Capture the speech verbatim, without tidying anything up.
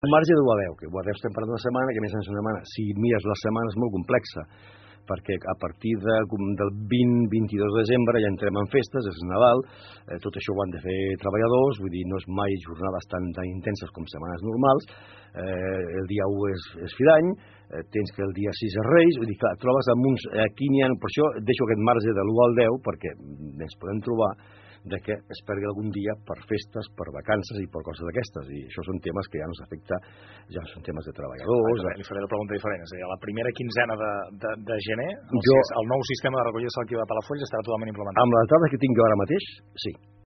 Un marge de u a deu, que u a deu estem parlant d'una setmana, que més és una setmana. Si mires la setmana és molt complexa, perquè a partir de, del vint a vint-i-dos de desembre ja entrem en festes, és Nadal, eh, tot això ho han de fer treballadors, vull dir, no és mai jornades tan, tan intenses com setmanes normals, eh, el dia u és, és fi d'any, eh, tens que el dia sis és Reis, vull dir, clar, trobes amb uns, aquí n'hi ha, per això deixo aquest marge de l'u al deu, perquè ens podem trobar de que es perdi algun dia per festes, per vacances i per coses d'aquestes, i això són temes que ja ens afecta, ja són temes de treballadors... Li faré la pregunta diferent, és a dir, a la primera quinzena de, de, de gener, el, jo, el nou sistema de recollida selectiva de Palafolls estarà totalment implementat. Amb les dades que tinc jo ara mateix, sí.